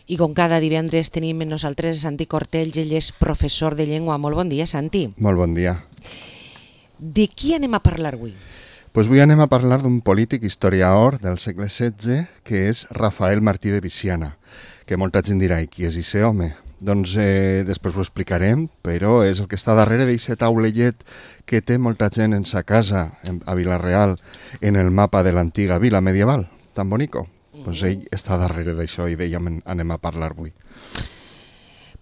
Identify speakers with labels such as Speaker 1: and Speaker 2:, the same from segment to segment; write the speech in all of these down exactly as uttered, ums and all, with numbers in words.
Speaker 1: I com cada divendres tenim amb nosaltres Santi Cortells, ell és professor de llengua. Molt bon dia, Santi.
Speaker 2: Molt bon dia.
Speaker 1: De qui anem a parlar avui?
Speaker 2: Pues avui anem a parlar d'un polític historiador del segle setze que és Rafael Martí de Viciana, que molta gent dirà, i qui és ese home? Doncs eh, després ho explicarem, però és el que està darrere d'aquest taulellet que té molta gent en sa casa, en, a Vila-real, en el mapa de l'antiga vila medieval, tan bonico. Doncs ell està darrere d'això i dèiem anem a parlar avui.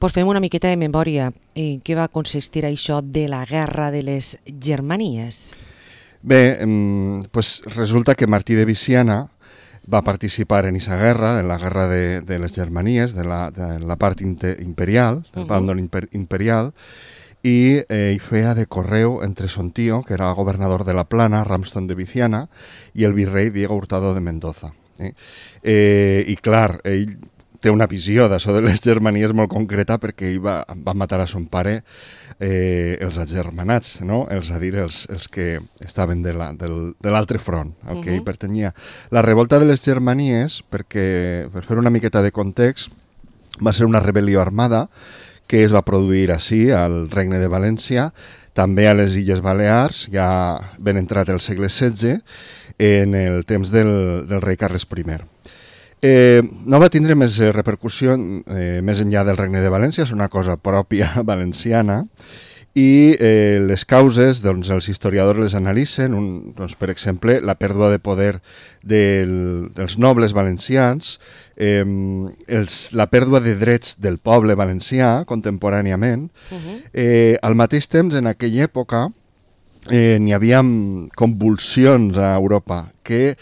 Speaker 1: Pues fem una miqueta de memòria. En què va consistir això de la Guerra de les Germanies?
Speaker 2: Bé, pues resulta que Martí de Viciana va participar en esa guerra, en la guerra de, de les Germanies, de la, de la part imperial, del bàndol imper, imperial, i eh, feia de correu entre son tío, que era gobernador de la Plana, Ramston de Viciana, i el virrei Diego Hurtado de Mendoza. Eh? Eh, I clar, ell té una visió d'això de les Germanies molt concreta perquè ell va, va matar a son pare eh, els agermanats, no? Els a dir, els, els que estaven de l'altre front, al que uh-huh. ell pertanyia. La revolta de les Germanies, perquè, per fer una miqueta de context, va ser una rebel·lió armada que es va produir així, al Regne de València, també a les Illes Balears, ja ben entrat el segle setze, en el temps del, del rei Carles primer. Eh, no va tindre més eh, repercussió eh, més enllà del Regne de València, és una cosa pròpia valenciana, i eh, les causes, doncs, els historiadors les analitzen, un, doncs, per exemple, la pèrdua de poder del, dels nobles valencians, eh, els, la pèrdua de drets del poble valencià contemporàniament. Uh-huh. eh, al mateix temps, en aquella època, eh, n'hi havia convulsions a Europa que,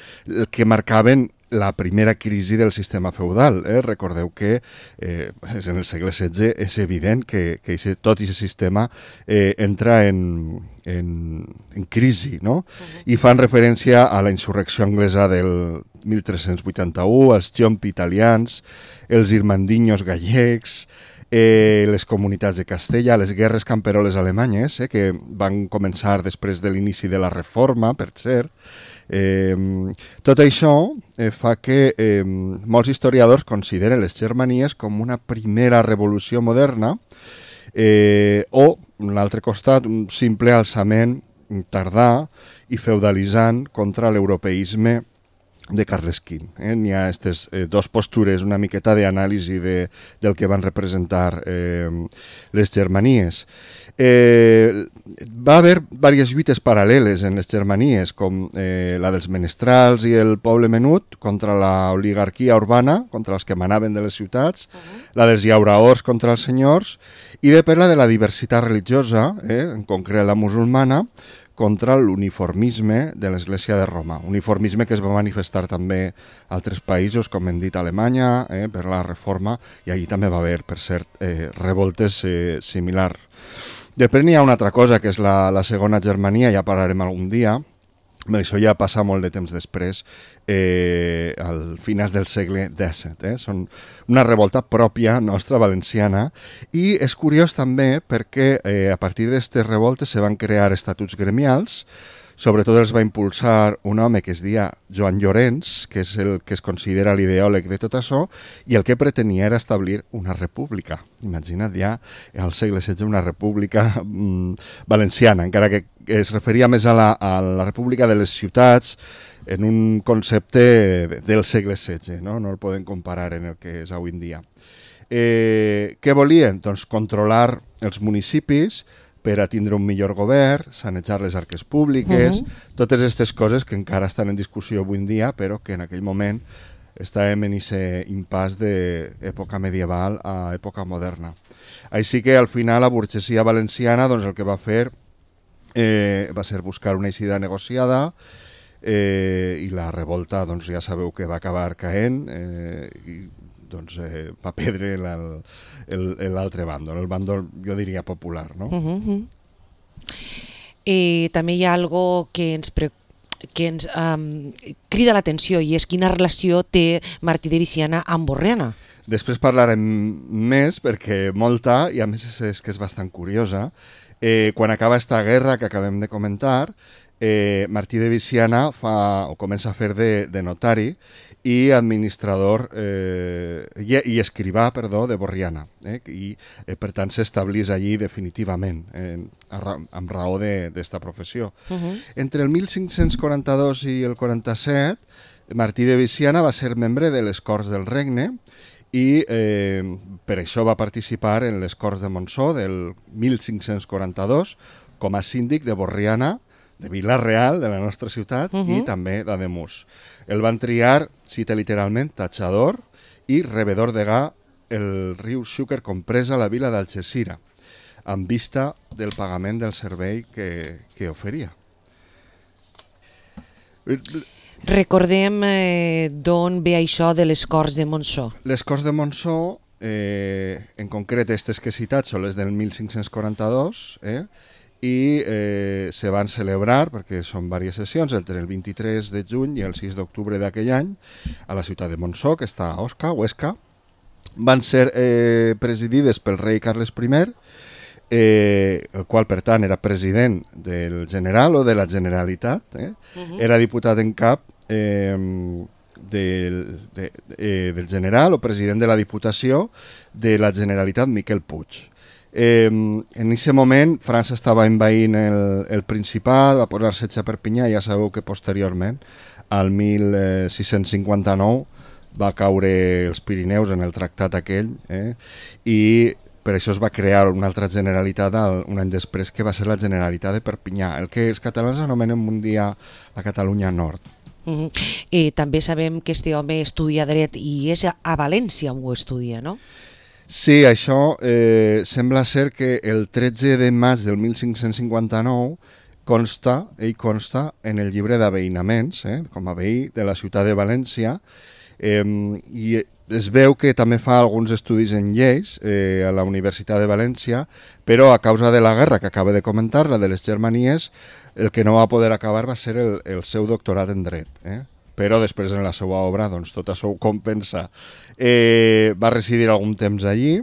Speaker 2: que marcaven la primera crisi del sistema feudal. Eh? Recordeu que eh, en el segle setze és evident que, que ese, tot aquest sistema eh, entra en, en, en crisi, no? Uh-huh. I fan referència a la insurrecció anglesa del mil tres-cents vuitanta-u, als Ciompi italians, els irmandinyos gallecs, eh, les comunitats de Castella, les guerres camperoles alemanyes, eh, que van començar després de l'inici de la Reforma, per cert. Eh, tot això eh, fa que eh, molts historiadors consideren les Germanies com una primera revolució moderna eh, o, a l'altre costat, un simple alçament tardà i feudalitzant contra l'europeisme de Carles quinze. Eh? N'hi ha aquestes eh, dos postures, una miqueta d'anàlisi de, del que van representar eh, les Germanies. Eh, va haver diverses lluites paral·leles en les Germanies, com eh, la dels menestrals i el poble menut contra l'oligarquia urbana, contra els que manaven de les ciutats, uh-huh. la dels llauraors contra els senyors, i de per la de la diversitat religiosa, eh, en concret la musulmana, contra l'uniformisme de l'Església de Roma. Uniformisme que es va manifestar també a altres països, com hem dit, Alemanya, eh, per la Reforma, i allí també va haver, per cert, eh, revoltes eh, similars. Després n'hi ha una altra cosa, que és la, la segona Germania, ja parlarem algun dia, però això ja passa molt de temps després, eh, al finals del segle disset. Eh? Són una revolta pròpia nostra, valenciana, i és curiós també perquè eh, a partir d'aquestes revoltes se van crear estatuts gremials. Sobretot els va impulsar un home que es deia Joan Llorenç, que és el que es considera l'ideòleg de tot això, i el que pretenia era establir una república. Imagina't ja al segle setze una república mmm, valenciana, encara que es referia més a la, a la república de les ciutats en un concepte del segle setze, no? No el podem comparar en el que és avui en dia. Eh, què volien? Doncs controlar els municipis, per a tindre un millor govern, sanejar les arques públiques, uh-huh. totes aquestes coses que encara estan en discussió avui en dia, però que en aquell moment estàvem en aquest impàs d'època medieval a època moderna. Així que al final la burgesia valenciana doncs, el que va fer eh, va ser buscar una eixida negociada eh, i la revolta doncs, ja sabeu que va acabar caent eh, i doncs, eh, va perdre l'altre bàndol, el bàndol, jo diria, popular. No?
Speaker 1: Uh-huh. Eh, també hi ha algo que ens, pre... que ens um, crida l'atenció i és quina relació té Martí de Viciana amb Borriana.
Speaker 2: Després parlarem més perquè molta, i a més és, és que és bastant curiosa, eh, quan acaba esta guerra que acabem de comentar, eh, Martí de Viciana fa, o comença a fer de, de notari i administrador eh, i, i escrivà, perdó, de Borriana, eh, i eh, per tant s'establís allí definitivament, eh, amb raó d'esta professió. Uh-huh. Entre el mil cinc-cents quaranta-dos i el quaranta-set, Martí de Viciana va ser membre de les Corts del Regne i eh, per això va participar en les Corts de Montsó del mil cinc-cents quaranta-dos com a síndic de Borriana, de Vila-real, de la nostra ciutat, uh-huh. i també d'Ademús. El van triar, cita literalment, tatxador i rebedor de ga el riu Xúquer compresa a la vila d'Algesira, amb vista del pagament del servei que, que oferia.
Speaker 1: Recordem eh, d'on ve això de les Corts de Montsó.
Speaker 2: Les Corts de Montsó, eh, en concret aquestes que he citat, són les del mil cinc-cents quaranta-dos, eh? i eh, se van celebrar, perquè són diverses sessions, entre el vint-i-tres de juny i el sis d'octubre d'aquell any, a la ciutat de Montsó, que està a Osca, Huesca. Van ser eh, presidides pel rei Carles I, eh, el qual, per tant, era president del General o de la Generalitat. Eh? Uh-huh. Era diputat en cap eh, del, de, eh, del General o president de la Diputació de la Generalitat Miquel Puig. Eh, en aquest moment França estava envaint el, el Principat, va posar setge a Perpinyà, ja sabeu que posteriorment, al mil sis-cents cinquanta-nou, va caure els Pirineus en el tractat aquell, eh, i per això es va crear una altra Generalitat un any després, que va ser la Generalitat de Perpinyà, el que els catalans anomenen un dia la Catalunya Nord.
Speaker 1: Uh-huh. eh, també sabem que este home estudia dret i és a València on ho estudia, no?
Speaker 2: Sí, això eh, sembla ser que el tretze de maig del mil cinc-cents cinquanta-nou consta, ell consta en el llibre d'aveïnaments, eh, com a veí de la ciutat de València, eh, i es veu que també fa alguns estudis en lleis eh, a la Universitat de València, però a causa de la guerra que acaba de comentar, la de les Germanies, el que no va poder acabar va ser el, el seu doctorat en dret, eh? Però després en la seva obra doncs, tot això ho compensa. Eh, va residir algun temps allí,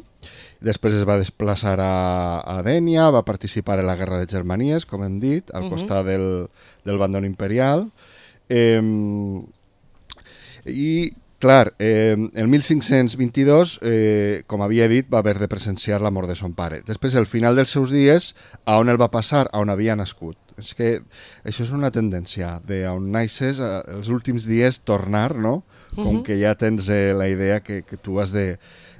Speaker 2: després es va desplaçar a, a Dénia, va participar en la Guerra de Germanies, com hem dit, al uh-huh. costat del, del bàndol imperial. Eh, I, clar, eh, el mil cinc-cents vint-i-dos, eh, com havia dit, va haver de presenciar la mort de son pare. Després, al final dels seus dies, a on el va passar? A on havia nascut. És que això és una tendència, de on naixes, els últims dies tornar, no? Com uh-huh. que ja tens eh, la idea que, que tu has de,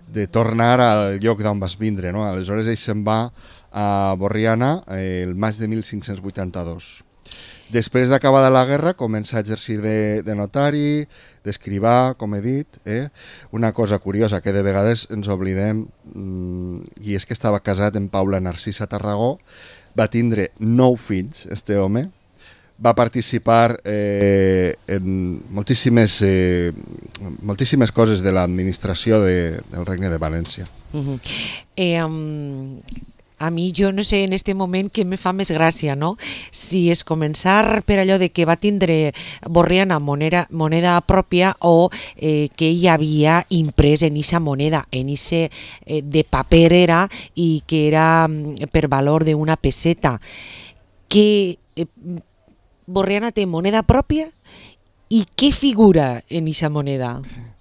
Speaker 2: de tornar al lloc d'on vas vindre, no? Aleshores ell se'n va a Borriana eh, el maig de mil cinc-cents vuitanta-dos. Després d'acabada la guerra comença a exercir de, de notari, d'escrivà, com he dit. Eh? Una cosa curiosa que de vegades ens oblidem, mmm, i és que estava casat amb Paula Narcisa Tarragó, va tindre nou fills, este home, va participar eh, en moltíssimes, eh, moltíssimes coses de l'administració de, del Regne de València.
Speaker 1: Uh-huh. eh, um... A mi, jo no sé en este moment què me fa més gràcia, no? Si és començar per allò de que va tindre Borriana moneda, moneda pròpia o eh, que ell havia imprès en eixa moneda, en eixe eh, de paper era i que era per valor d'una peseta. Que eh, Borriana té moneda pròpia i què figura en eixa moneda?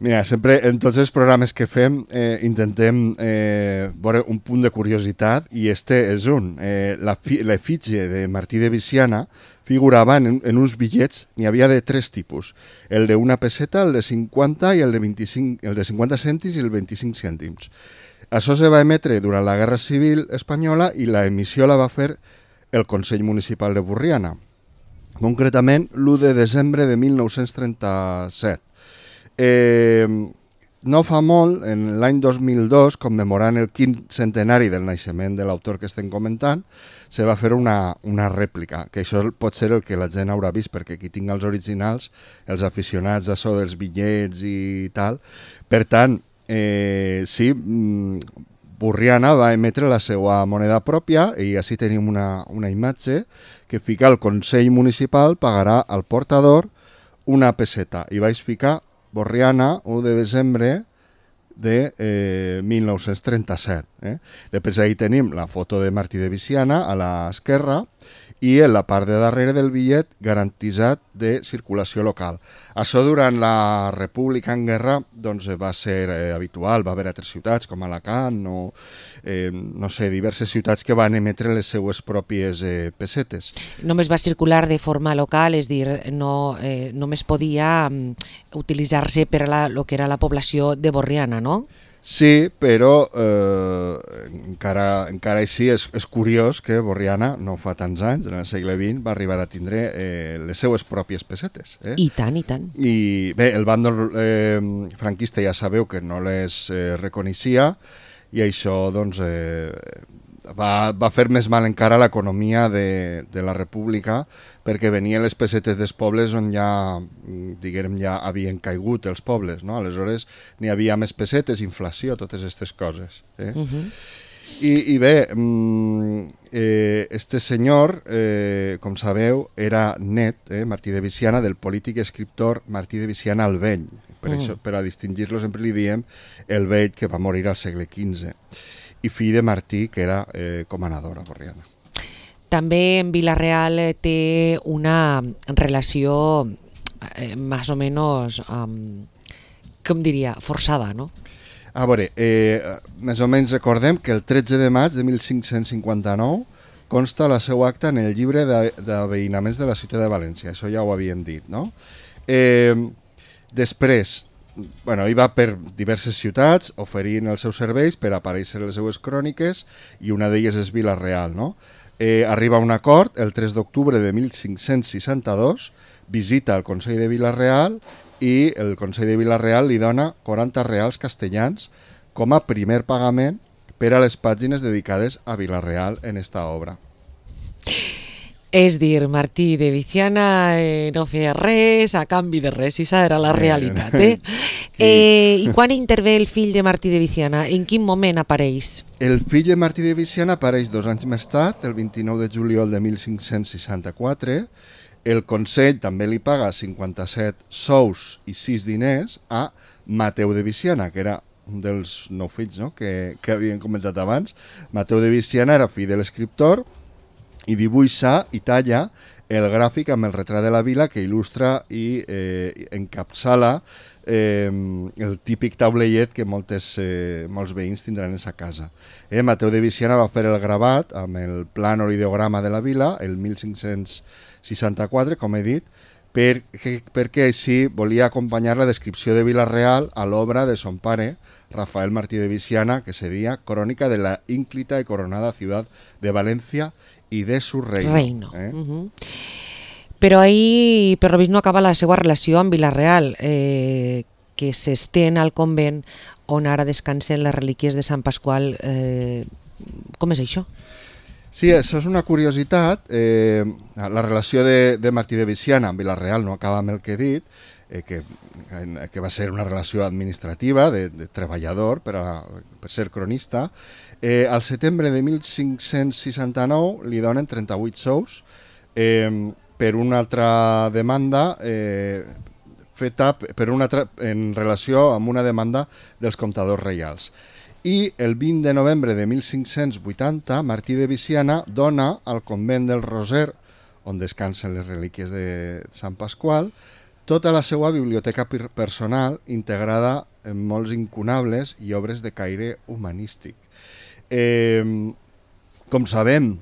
Speaker 2: Mira, sempre en tots els programes que fem eh, intentem eh, veure un punt de curiositat i este és un. Eh, la, la fitge de Martí de Viciana figurava en, en uns bitllets, n'hi havia de tres tipus. El d'una peseta, el de cinquanta i el de, vint-i-cinc, el de cinquanta cèntims i el vint-i-cinc cèntims. Això se va emetre durant la Guerra Civil Espanyola i la emissió la va fer el Consell Municipal de Borriana, concretament l'u de desembre de mil nou-cents trenta-set. Eh, no fa molt, en l'any dos mil dos, commemorant el quinze centenari del naixement de l'autor que estem comentant, se va fer una, una rèplica, que això pot ser el que la gent haurà vist, perquè qui tinga els originals, els aficionats a això dels bitllets i tal. Per tant, eh, sí, Borriana va emetre la seva moneda pròpia i així tenim una, una imatge que fica el Consell Municipal pagarà al portador una peseta i vaig ficar Borriana, u de desembre de eh, mil nou-cents trenta-set. Eh? Després ahí tenim la foto de Martí de Viciana a l'esquerra i en la part de darrere del bitllet garantitzat de circulació local. Això durant la República en Guerra doncs, va ser eh, habitual, va haver altres ciutats com Alacant o eh, no sé, diverses ciutats que van emetre les seues pròpies eh, pessetes.
Speaker 1: Només va circular de forma local, és dir, no, eh, només podia um, utilitzar-se per a la, lo que era la població de Borriana, no?
Speaker 2: Sí, però eh, encara, encara així és, és curiós que Borriana, no fa tants anys, en el segle vint, va arribar a tindre eh, les seues pròpies pessetes. Eh?
Speaker 1: I tant, i tant.
Speaker 2: I bé, el bàndol eh, franquista ja sabeu que no les eh, reconeixia i això doncs, eh, va, va fer més mal encara l'economia de, de la República perquè venien les pessetes dels pobles on ja, diguem, ja havien caigut els pobles, no? Aleshores n'hi havia més pessetes, inflació, totes aquestes coses. Eh? Uh-huh. I, I bé, eh, este senyor, eh, com sabeu, era net, eh, Martí de Viciana, del polític i escriptor Martí de Viciana el Vell. Per, uh-huh. això, per a distingir-lo sempre li diem el Vell, que va morir al segle quinze. I fill de Martí, que era eh, comanador a Borriana.
Speaker 1: També en Vila-real té una relació eh, més o menys, um, com diria, forçada, no?
Speaker 2: A veure, eh, més o menys recordem que el tretze de maig de mil cinc-cents cinquanta-nou consta la seva acta en el llibre d'aveïnaments de la ciutat de València. Això ja ho havíem dit, no? Eh, després, bueno, hi va per diverses ciutats oferint els seus serveis per aparèixer les seues cròniques i una d'elles és Vila-real, no? Eh, arriba a un acord el tres d'octubre de mil cinc-cents seixanta-dos, visita el Consell de Vila-real i el Consell de Vila-real li dona quaranta reals castellans com a primer pagament per a les pàgines dedicades a Vila-real en esta obra.
Speaker 1: És dir, Martí de Viciana eh, no feia res a canvi de res, i aquesta era la realitat. Eh? Eh, I quan intervé el fill de Martí de Viciana? En quin moment apareix?
Speaker 2: El fill de Martí de Viciana apareix dos anys més tard, el vint-i-nou de juliol de mil cinc-cents seixanta-quatre. El Consell també li paga cinquanta-set sous i sis diners a Mateu de Viciana, que era un dels nou fills, no? que, que havien comentat abans. Mateu de Viciana era fill de l'escriptor i dibuixa i talla el gràfic amb el retrat de la vila que il·lustra i eh, encapçala eh, el típic taulellet que moltes, eh, molts veïns tindran en sa casa. Eh, Mateu de Viciana va fer el gravat amb el plànol ideograma de la vila el mil cinc-cents seixanta-quatre, com he dit, perquè, perquè així volia acompanyar la descripció de Vila-real a l'obra de son pare, Rafael Martí de Viciana, que se deia Crònica de la ínclita y coronada ciudad de Valencia i de su reino.
Speaker 1: reino.
Speaker 2: Eh?
Speaker 1: Uh-huh. Però ahir, per lo vist, no acaba la seva relació amb Vila-real, eh, que s'estén al convent on ara descansen les relíquies de Sant Pasqual. Eh, com és això?
Speaker 2: Sí, això és una curiositat. Eh, la relació de, de Martí de Viciana amb Vila-real no acaba amb el que he dit, eh, que, que va ser una relació administrativa de, de treballador per, a, per ser cronista. Eh, al setembre de mil cinc-cents seixanta-nou li donen trenta-vuit sous eh, per una altra demanda eh, feta per una altra, en relació amb una demanda dels comptadors reials. I el vint de novembre de mil cinc-cents vuitanta Martí de Viciana dona al convent del Roser, on descansen les relíquies de Sant Pasqual, tota la seva biblioteca personal integrada en molts incunables i obres de caire humanístic. Eh, com sabem,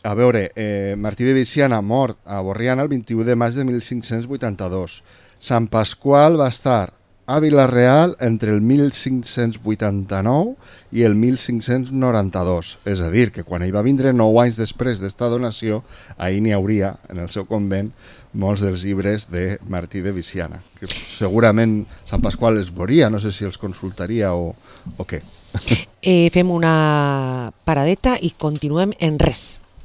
Speaker 2: a veure, eh, Martí de Viciana mort a Borriana el vint-i-u de maig de mil cinc-cents vuitanta-dos. Sant Pasqual va estar a Vila-real entre el mil cinc-cents vuitanta-nou i el mil cinc-cents noranta-dos. És a dir, que quan ell va vindre nou anys després d'esta donació, ahir n'hi hauria, en el seu convent, molts dels llibres de Martí de Viciana, que segurament Sant Pasqual els veuria, no sé si els consultaria o, o què.
Speaker 1: Eh, fem una paradeta i continuem en res.